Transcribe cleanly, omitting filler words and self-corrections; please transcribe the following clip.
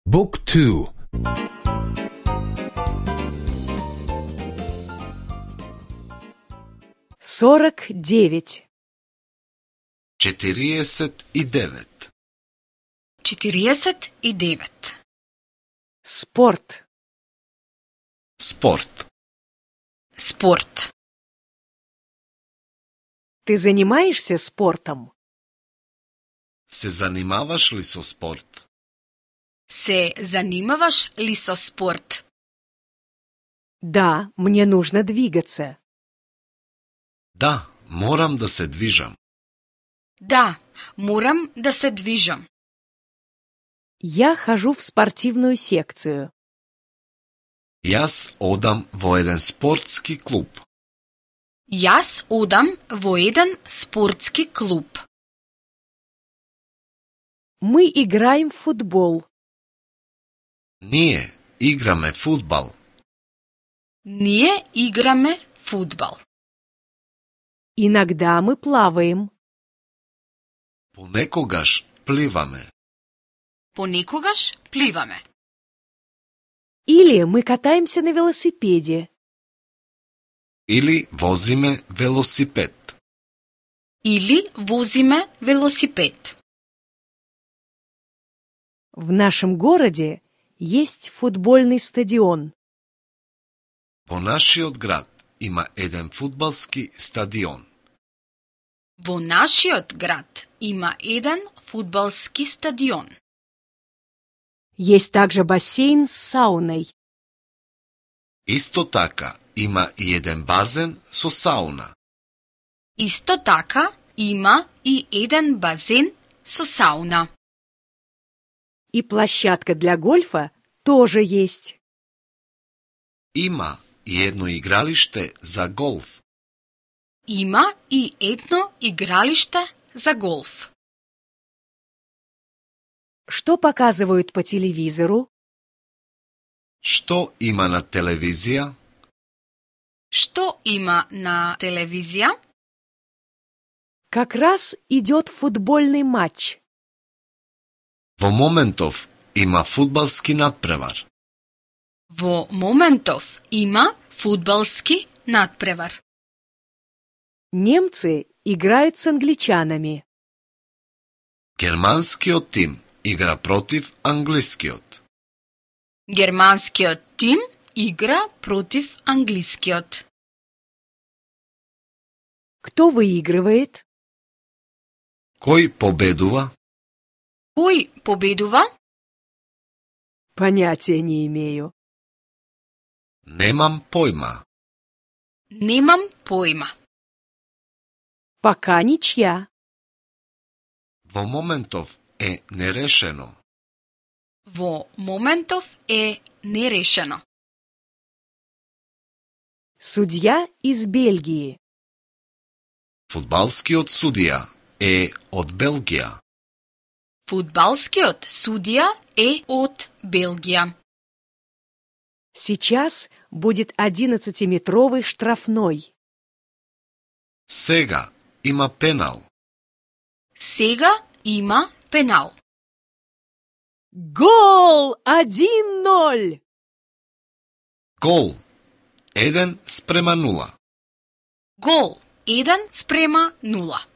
Book 2. Сорок девять. 49. 49. Спорт. Спорт. Спорт. Ты занимаешься спортом? Се занимаваш ли со спорт? Се занимаваш ли со спорт? Да, мне нужно двигаться. Да, морам да се движам. Да, морам да се движам. Я хожу в спортивную секцию. Јас одам во еден спортски клуб. Јас одам во еден спортски клуб. Мы играем в футбол. Ние играме фудбал. Ние играме фудбал. Иногда мы плаваем. Понекогаш пливаме. Понекогаш пливаме. Или мы катаемся на велосипеде. Или возиме велосипед. Или возиме велосипед. В нашем городе есть футбольный стадион. Во нашиот град има еден фудбалски стадион. Во нашиот град има еден фудбалски стадион. Есть также бассейн с сауной. Исто така има и еден базен со сауна. Исто така има и еден базен со сауна. И площадка для гольфа тоже есть. Има и едно игралиште за голф. Има и едно игралиште за голф. Что показывают по телевизору? Што има на телевизија? Што има на телевизија? Как раз идет футбольный матч. Во моментов има фудбалски надпревар. Во моментов има фудбалски надпревар. Немцы играют с англичанами. Германскиот тим игра против англискиот. Германскиот тим игра против англискиот. Кто выигрывает? Кој победува? Кој победува? Понятия не имею. Немам појма. Немам појма. Пока ничья. Во моментов е нерешено. Во моментов е нерешено. Судья из Бельгии. Фудбалскиот судија е од Белгија. Фудбалскиот судија е од Белгија. Сейчас будет 11-метровый штрафной. Сега има пенал. Сега има пенал. Гол! 1-0! Гол 1:0. Гол 1:0.